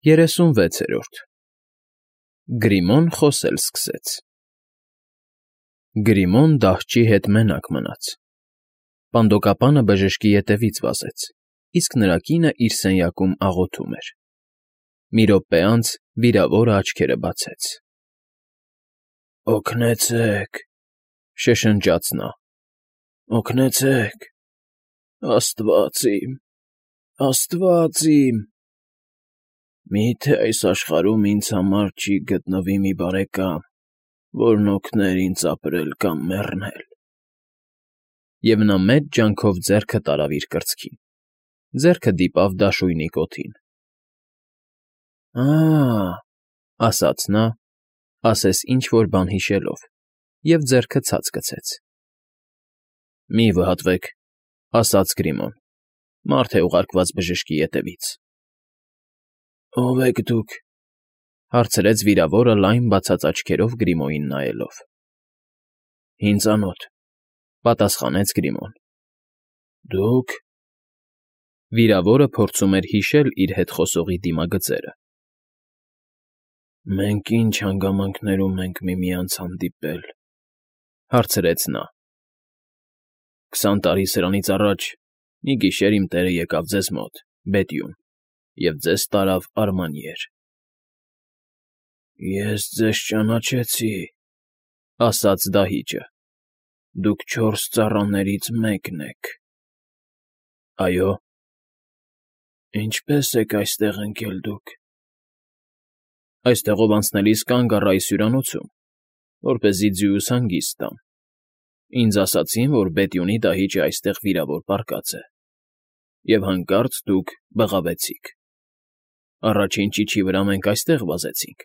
36-րդ Գրիմոն խոսել սկսեց։ Գրիմոն դահճի հետ մենակ մնաց։ Պանդոկապանը բժշկի ետևից վազեց, իսկ նրա կինը իր սենյակում աղոթում էր։ Մի րոպե անց վիրավորը աչքերը բացեց։ «Օգնեցե՛ք,֊ շշնջաց նա,֊ օգնեցե՛ք, Աստված իմ, Աստված իմ… Մի՞թե այս աշխարհում ինձ համար չի գտնվի մի բարեկամ, որն օգներ ինձ ապրել կամ մեռնել»։ Եվ նա մեծ ջանքով ձեռքը տարավ իր կրծքին, ձեռքը դիպավ դաշույնի կոթին։ «Ա՜», ասաց նա, ասես ինչ֊որ բան հիշելով, և ձեռքը ցած գցեց։ «Մի՛ վհատվեք,֊ ասաց Գրիմոն, մարդ է ուղարկված բժշկի ետևից»։ «Ո՞վ եք դուք,֊ հարցրեց վիրավորը լայն բացած աչքերով Գրիմոյին նայելով։ «Ինձանոտ,֊ պատասխանեց Գրիմոն։ Դուք…» Վիրավորը փորձում էր հիշել իր հետ խոսողի դիմագծերը։ «Մենք ի՞նչ հանգամանքներում ենք միմյանց հանդիպել,֊ հարցրեց նա։ 20 տարի սրանից առաջ մի գիշեր իմ տերը եկավ ձեզ մոտ, Բեթյուն, և ձեզ տարավ Արմանիեր»։ «Ես ձեզ ճանաչեցի,֊ ասաց դահիճը,֊ դուք 4 ծառաներից մեկն եք»։ «Այո»։ «Ինչպե՞ս եք այստեղ ընկել դուք»։ «Այստեղով անցնելիս կանգ առա այս հյուրանոցում, որպեսզի ձիուս հանգիստ տամ։ Ինձ ասացին, որ Բեթյունի դահիճը այստեղ վիրավոր պառկած է, և հանկարծ դուք բղավեցիք։ Առաջին ճիչի վրա մենք այստեղ վազեցինք,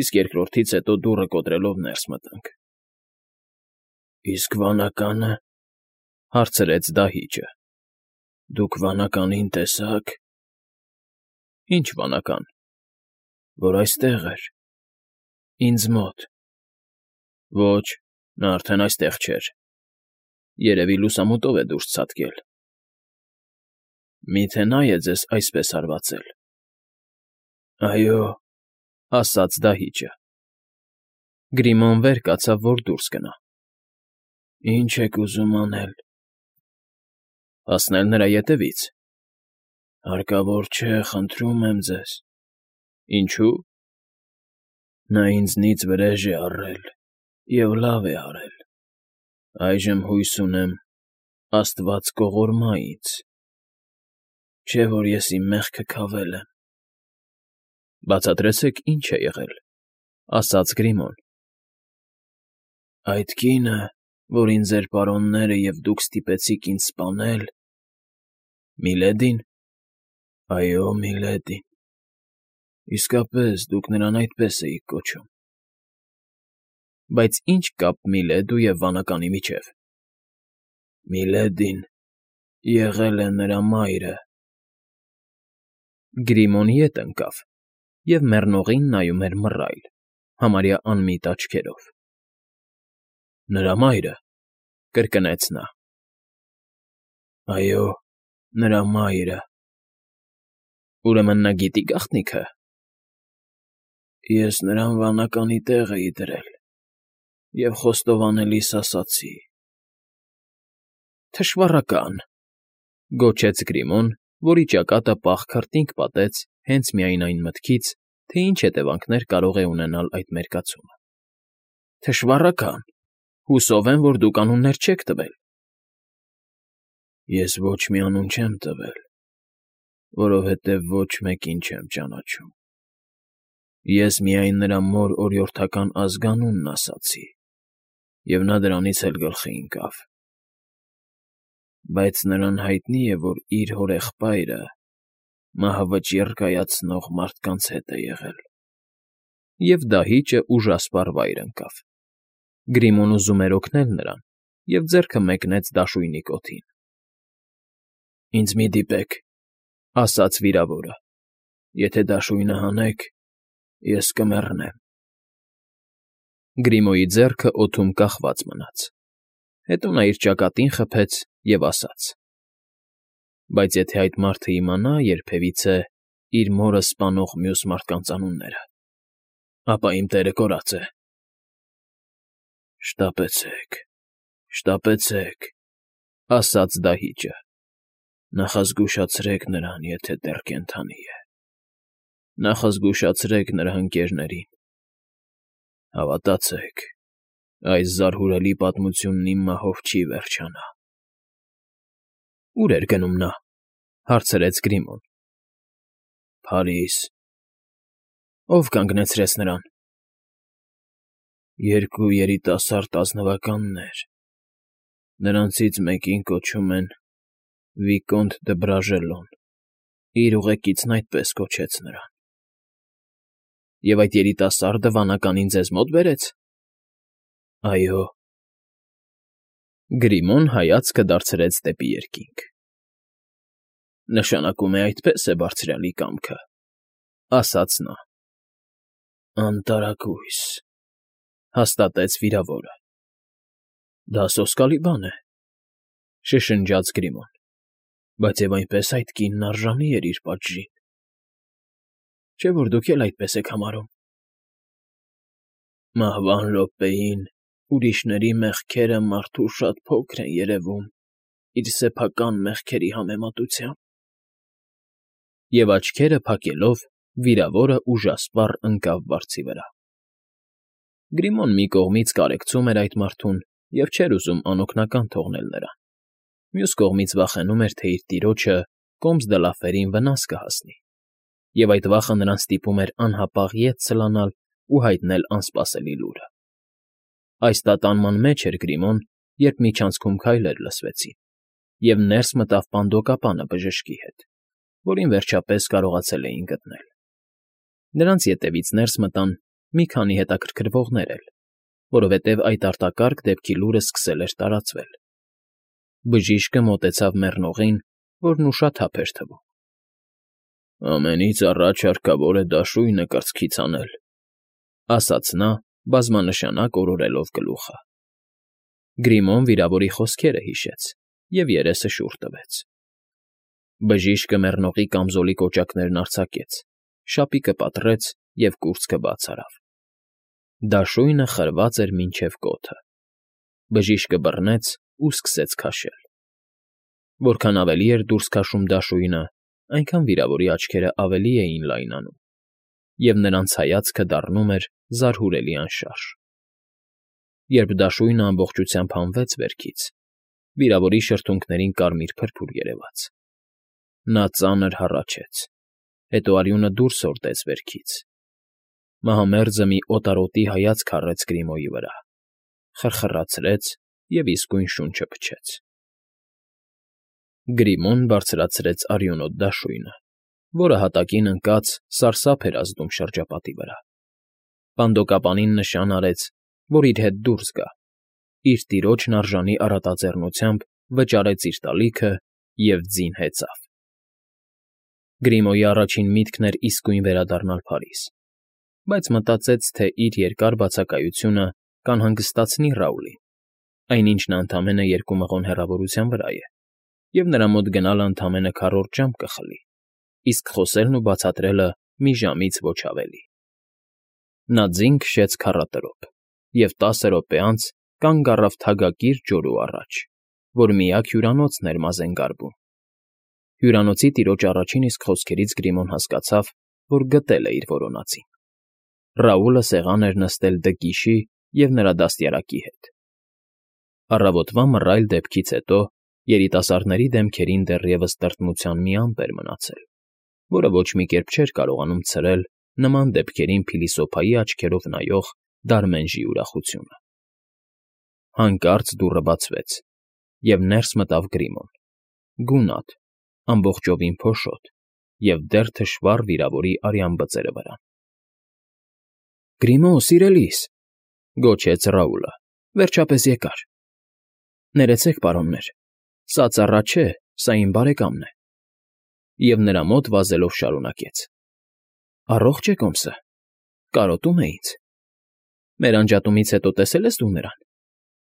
իսկ երկրորդից հետո դուռը կոտրելով ներս մտանք»։ «Իսկ վանակա՞նը,֊ հարցրեց դահիճը։ Դուք վանականին տեսա՞ք»։ «Ի՞նչ վանական»։ «Որ այստեղ էր, ինձ մոտ»։ «Ոչ, նա արդեն այստեղ չէր։ Երևի լուսամուտով է դուրս ցատկել»։ «Մի՞թե նա է ձեզ այսպես հարվածել»։ «Այո», ասաց դահիճը։ Գրիմոն վեր կացավ, որ դուրս գնա։ «Ի՞նչ եք ուզում անել»։ «Հասնել նրա ետևից»։ «Հարկավոր չէ, խնդրում եմ ձեզ»։ «Ինչո՞ւ»։ «Նա ինձնից վրեժ է առել և լավ է արել։ Այժմ հույս ունեմ Աստված կողորմա ինձ, չէ՞ որ ես իմ մեղքը քավել եմ»։ «Բացատրեցեք, ինչ է եղել», ասաց Գրիմոն։ «Այդ կինը, որին ձեր պարոնները և դուք ստիպեցիք ինձ սպանել… Միլեդի՞ն»։ «Այո, Միլեդին»։ «Իսկապես դուք նրան այդպես էիք կոչում»։ «Բայց ի՞նչ կապ Միլեդու և վանականի միջև»։ «Միլեդին եղել է նրա մայրը»։ Գրիմոն ետ ընկավ և մեռնողին նայում էր մռայլ, համարյա անմիտ աչքերով։ «Նրա մայրը,֊ կրկնեց նա։ «Այո, նրա մայրը»։ «Ուրեմն նա գիտի գաղտնիքը»։ «Ես նրան վանականի տեղ էի դրել և խոստովանելիս ասացի»։ «Թշվառակա՜ն,֊ գոչեց Գրիմոն, որի ճակատը պաղ քրտինք պատեց հենց միայն այն մտքից, թե ինչ հետևանքներ կարող է ունենալ այդ մերկացումը։ «Թշվառակա՜ն, հուսով եմ, որ դուք անուններ չեք տվել»։ «Ես ոչ մի անուն չեմ տվել, որովհետև ոչ մեկին չեմ ճանաչում։ Ես միայն նրա մոր օրիորդական ազգանունն ասացի, և նա դրանից էլ գլխի ընկավ։ Բայց նրան հայտնի է, որ իր հորեղբայրը մահավճիռ կայացնող մարդկանց հետ է եղել»։ Եվ դահիճը ուժասպառ վայր ընկավ։ Գրիմոն ուզում էր օգնել նրան և ձեռքը մեկնեց դաշույնի կոթին։ «Ինձ մի՛ դիպեք,֊ ասաց վիրավորը։ Եթե դաշույնը հանեք, ես կմեռնեմ»։ Գրիմոյի ձեռքը օդում կախված մնաց։ Հետո նա իր ճակատին խփեց և ասաց. «Բայց եթե այդ մարդը իմանա երբևիցե, իր մորը սպանող մյուս մարդկանց անունները, ապա իմ տերը կորած է։ Շտապեցեք, շտապեցեք, ասաց դահիճը, նախազգուշացրեք նրան, եթե դեռ կենդանի է, նախազգուշացրեք նրա ընկերներին, հավատացեք, այս զարհուրելի պատմությունն իմ մահով չի վերջանա։ Ո՞ւր էր գնում նա, հարցրեց Գրիմոն։ Փարիզ։ Ո՞վ կանգնեցրեց նրան։ Երկու երիտասարդ ազնվականներ, նրանցից մեկին կոչում են Վիկոնտ դը Բրաժելոն, իր ուղեկիցն այդպես կոչեց նրան։ Եվ այդ երիտասարդը վանականին ձեզ մոտ բերեց։ Այո։ Գրիմոն հայացքը դարձրեց դեպի երկինք։ Նշանակում է այդպես է բարձրյալի կամքը, ասաց նա։ Անտարակույս, հաստատեց վիրավորը։ Դա սոսկալի բան է, շշնջաց Գրիմոն, բայց և այնպես այդ կինն արժանի էր իր պատժին։ Չէ՞ որ դուք էլ այդպես եք համարում։ Մահվան րոպեին ուրիշների մեղքերը մարդու շատ փոքր են երևում իր սեփական մեղքերի համեմատությամբ։ Եվ աչքերը փակելով, վիրավորը ուժասպառ ընկավ վարձի վրա։ Գրիմոն մի կողմից կարեկցում էր այդ մարդուն և չէր ուզում անօգնական թողնել նրան, մյուս կողմից վախենում էր, թե իր տիրոջը Կոմս դը Լաֆերին վնաս կհասնի, և այդ վախը նրան ստիպում էր անհապաղ ետ սլանալ ու հայտնել անսպասելի լուրը։ Այս տատանման մեջ էր Գրիմոն, երբ միջանցքում քայլեր լսվեցին, և ներս մտավ պանդոկապանը բժշկի հետ, որին վերջապես կարողացել էին գտնել։ Նրանց ետևից ներս մտան մի քանի հետաքրքրվողներ էլ, որովհետև այդ արտակարգ դեպքի լուրը սկսել էր տարածվել։ Բժիշկը մոտեցավ մեռնողին, որն ուշաթափ էր թվում։ Ամենից առաջ հարկավոր է դաշույնը կրծքից հանել, ասաց նա, բազմանշանակ օրորելով գլուխը։ Գրիմոն վիրավորի խոսքերը հիշեց և երեսը շուռ տվեց։ Բժիշկը մեռնողի կամզոլի կոճակներն արձակեց, շապիկը պատռեց և կուրծքը բաց արավ։ Դաշույնը խրված էր մինչև կոթը։ Բժիշկը բռնեց ու սկսեց քաշել։ Որքան ավելի էր դուրս քաշում դաշույնը, այնքան վիրավորի աչքերը ավելի էին լայնանում, և նրանց հայացքը դառնում էր զարհուրելի անշարժ։ Երբ դաշույնը ամբողջությամբ հանվեց վերքից, վիրավորի շրթունքներին կարմիր փրփուր երևաց։ Նա ծանր հառաչեց, հետո արյունը դուրս հորդեց վերքից։ Մահամերձը մի օտարոտի հայացք առեց Գրիմոյի վրա, խրխրացրեց և իսկույն շունչը փչեց։ Գրիմոն բարձրացրեց արյունոտ դաշույնը, որը հատակին ընկած սարսափ էր ազդում շրջապատի վրա։ Պանդոկապանին նշան արեց, որ իր հետ դուրս գա, իր տիրոջն արժանի առատաձեռնությամբ վճարեց իր տալիքը և ձին հեծավ։ Գրիմոյի առաջին միտքն էր իսկույն վերադառնալ Փարիզ, բայց մտածեց, թե իր երկար բացակայությունը կանհանգստացնի Ռաուլին, այնինչ նա ընդամենը 2 մղոն հեռավորության վրա է, և նրա մոտ գնալը ընդամենը քառորդ ժամ կխլի, իսկ խոսելն ու բացատրելը մի ժամից ոչ ավելի։ Նա ձին քշեց քառատրոփ և 10 րոպե անց կանգ առավ թագակիր ջորու առաջ, որ միակ հյուրանոցն էր Մազենգարբում։ Հյուրանոցի տիրոջ առաջին իսկ խոսքերից Գրիմոն հասկացավ, որ գտել է իր որոնածին։ Ռաուլը սեղան էր նստել Դը և նրա դաստիարակի հետ։ Առավոտվա մռայլ դեպքից հետո երիտասարդների դեմքերին դեռևս տրտմության մի ամպ էր մնացել, որը ոչ մի կերպ չէր կարողանում ցրել նման դեպքերին փիլիսոփայի աչքերով նայող Դարմենժի ուրախությունը։ Հանկարծ դուռը բացվեց, և ներս մտավ Գրիմոն, գունատ, ամբողջովին փոշոտ և դեռ թշվառ վիրավորի արյան բծերը վրա։ Գրիմո, սիրելիս,֊ գոչեց Ռաուլը,֊ վերջապես եկար։ Ներեցեք, պարոններ, սա ծառա չէ, սա իմ բարեկամն է։ Եվ նրա մոտ վազելով շարունակեց. Առողջ է Կոմսը, կարոտում է ինձ։ Մեր անջատումից հետո տեսել ես դու նրան։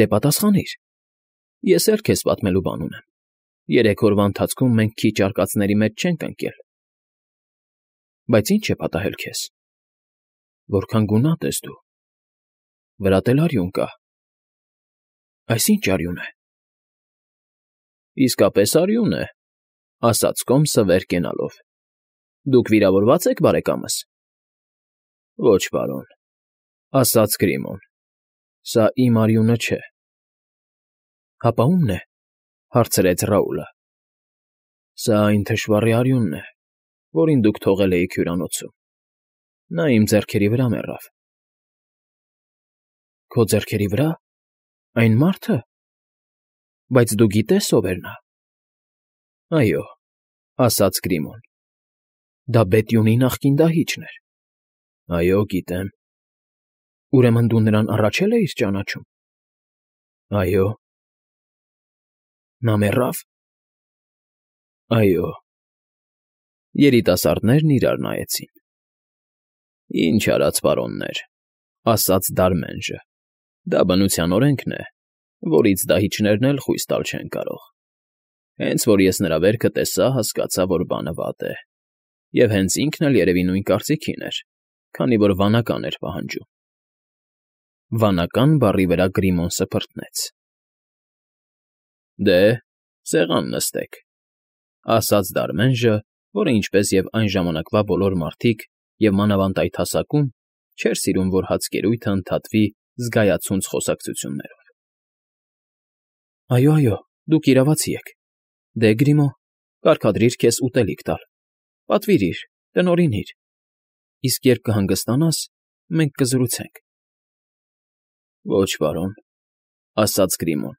Դե պատասխանիր։ Ես էլ քեզ պատմելու բան ունեմ։ 3 օրվա ընթացքում մենք քիչ արկածների մեջ չենք ընկել։ Բայց ի՞նչ է պատահել քեզ։ Որքան գունատ ես դու։ Վրատ էլ արյուն կա։ Այս ի՞նչ արյուն է։ Իսկապես արյուն է, ասաց Կոմսը վեր կենալով։ Դուք վիրավորված եք, բարեկամս։ Ոչ, պարոն, ասաց Գրիմոն։ Սա իմ արյունը չէ։ Հապա ո՞ւմն է, հարցրեց Ռաուլը։ Սա այն թշվառի արյունն է, որին դուք թողել էիք հյուրանոցում։ Նա իմ ձեռքերի վրա մեռավ։ Քո ձեռքերի վրա։ Այն մարդը։ Բայց դու գիտես ով էր նա։ Այո, ասաց Գրիմոն։ Դա Բետյունի նախկին դահիճն էր։ Այո, գիտեմ։ Ուրեմն դու նրան առաջել էիր ճանաչում։ Այո։ Նա մեռավ։ Այո։ Երիտասարդներն իրար նայեցին։ Ինչ արած, պարոններ, ասաց Դարմենժը։ Դա բնության օրենքն է, որից դահիճներն էլ խույս տալ չեն կարող։ Հենց որ ես նրա վերքը տեսա, հասկացա, որ բանը վատ է։ Եվ հենց ինքն էլ երևի նույն կարծիքին էր, քանի որ վանական էր պահանջում։ Վանական բառի վրա Գրիմոն սփռտնեց։ Դե, սեղան նստեք, ասաց Դարմենժը, որը ինչպես եւ այն ժամանակվա բոլոր մարդիկ եւ մանավանդ այդ հասակում չէր սիրում, որ հացկերույթը ընդհատվի զգայացունց խոսակցություններով։ Այո, դուք իրավացի եք։ Դե, Գրիմո, կարգադրիր քեզ ուտելիք տալ։ Պատվիրիր, տնօրինիր։ Իսկ երբ կհանգստանաս, մենք կզրուցենք։ Ոչ, պարոն, ասաց Գրիմոն։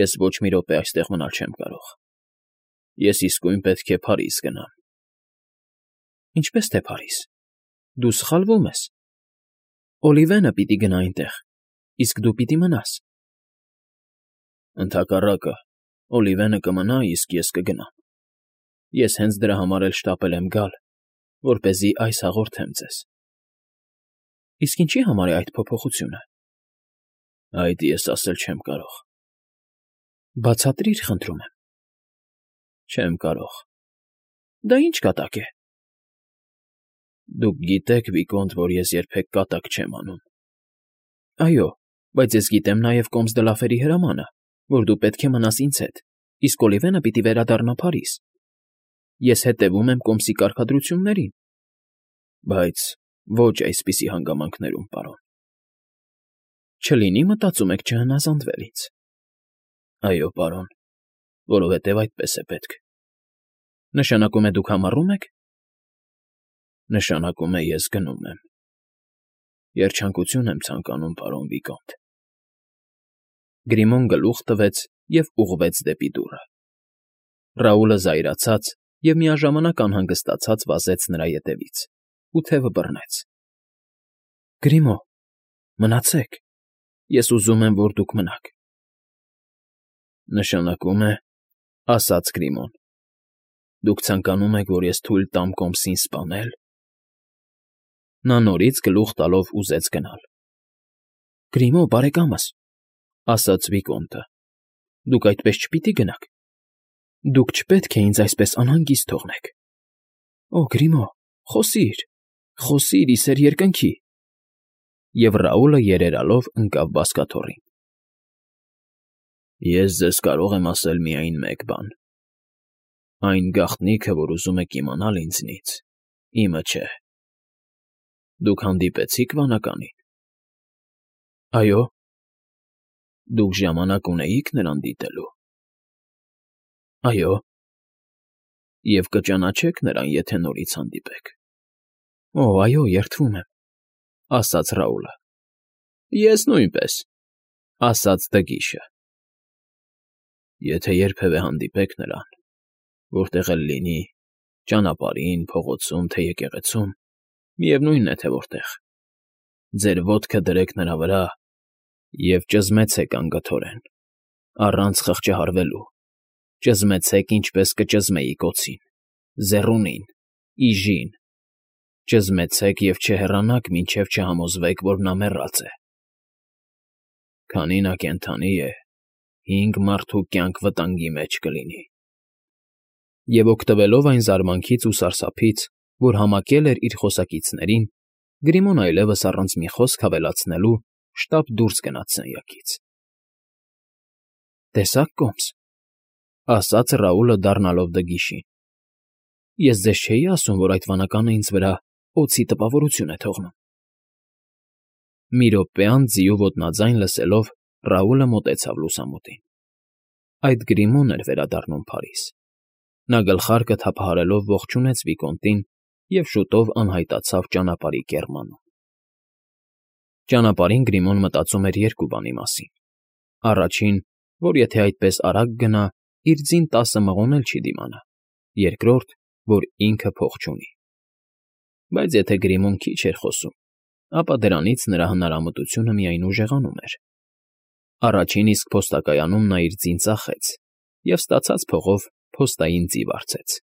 Ես ոչ մի րոպե այստեղ մնալ չեմ կարող։ Ես իսկույն պետք է Փարիզ գնամ։ Ինչպես թե Փարիզ։ Դու սխալվում ես։ Օլիվենը պիտի գնա այնտեղ, իսկ դու պիտի մնաս։ Ընդհակառակը, Օլիվենը կմնա, իսկ ես կգնամ։ Ես հենց դրա համար էլ շտապել եմ գալ, որպեսզի այս հաղորդեմ ձեզ։ Իսկ ինչի համար է այդ փոփոխությունը։ Այդ ես ասել չեմ կարող։ Բացատրիր, խնդրում եմ։ Չեմ կարող։ Դա ինչ կատակ է։ Դուք գիտեք, Վիկոնտ, որ ես երբեք կատակ չեմ անում։ Այո, բայց ես գիտեմ նաև Կոմս դե Լաֆերի հրամանը, որ դու պետք է մնաս ինձ հետ, իսկ Օլիվենը պիտի վերադառնա Փարիզ։ Ես հետևում եմ Կոմսի կարգադրություններին։ Բայց ոչ այսպիսի հանգամանքներում, պարոն։ Չլինի մտածում եք չհնազանդվել ինձ։ Այո, պարոն, որովհետև այդպես է պետք։ Նշանակում է դուք համառում եք։ Նշանակում է ես գնում եմ։ Երջանկություն եմ ցանկանում, պարոն Վիկոնտ։ Գրիմոն գլուխ տվեց և ուղղվեց դեպի դուռը։ Ռաուլը զայրացած և միաժամանակ անհանգստացած վազեց նրա ետևից ու թևը բռնեց։ Գրիմո, մնացեք։ Ես ուզում եմ, որ դուք մնաք։ Նշանակում է, ասաց Գրիմոն, դուք ցանկանում եք, որ ես թույլ տամ Կոմսին սպանել։ Նա նորից գլուխ տալով ուզեց գնալ։ Գրիմո, բարեկամս, ասաց Վիկոնտը, դուք այդպես չպիտի գնաք։ Դուք չպետք է ինձ այսպես անհանգիստ թողնեք։ Օ, Գրիմո, խոսիր, ի սեր երկնքի։ Եվ Ռաուլը երերալով ընկավ բազկաթոռին։ Ես ձեզ կարող եմ ասել միայն մեկ բան. այն գաղտնիքը, որ ուզում եք իմանալ ինձնից, իմը չէ։ Դուք հանդիպեցի՞ք վանականին։ Այո։ Դուք ժամանակ ունեիք նրան դիտելու։ Այո։ Եվ կճանաչեք նրան, եթե նորից հանդիպեք։ Օ, այո, երդվում եմ, ասաց Ռաուլը։ Ես նույնպես, ասաց Դգիշը։ Եթե երբևէ հանդիպեք նրան, որտեղ էլ լինի, ճանապարհին, փողոցում, թե եկեղեցում, միևնույնն է, թե որտեղ, ձեր ոտքը դրեք նրա վրա և ճզմեցեք անգթորեն, առանց խղճահարվելու, ճզմեցեք, ինչպես կճզմեիք օձին, զեռունին, իժին, ճզմեցեք և չհեռանաք, մինչև չհամոզվեք, որ նա մեռած է։ Քանի նա կենդանի է, 5 մարդու կյանք վտանգի մեջ կլինի։ Եվ օգտվելով այն զարմանքից ու սարսափից, որ համակել էր իր խոսակիցներին, Գրիմոն այլևս առանց մի խոսք ավելացնելու շտապ դուրս գնաց սենյակից։ ֊ Տեսա՞ք, կոմս,֊ ասաց Ռաուլը, դառնալով դգիշին։ Ես ձեզ չէի ասում, որ այդ վանականը ինձ վրա օձի տպավորություն է թողնում։ Մի րոպե անց ձիու ոտնաձայն լսելով Ռաուլը մոտեցավ լուսամուտին։ Այդ Գրիմոն էր վերադառնում Փարիզ։ Նա գլխարկը թափահարելով ողջունեց վիկոնտին և շուտով անհայտացավ ճանապարհի կեռմանում։ Ճանապարհին Գրիմոն մտածում էր երկու բանի մասին. առաջին, որ եթե այդպես արագ գնա, իր ձին 10 մղոն էլ չի դիմանա, երկրորդ, որ ինքը փող չունի։ Բայց եթե Գրիմոն քիչ էր խոսում, ապա դրանից նրա հնարամտությունը միայն ուժեղանում էր։ Առաջին իսկ փոստակայանում նա իր ձին ծախեց և ստացած փողով փոստային ձի վարձեց։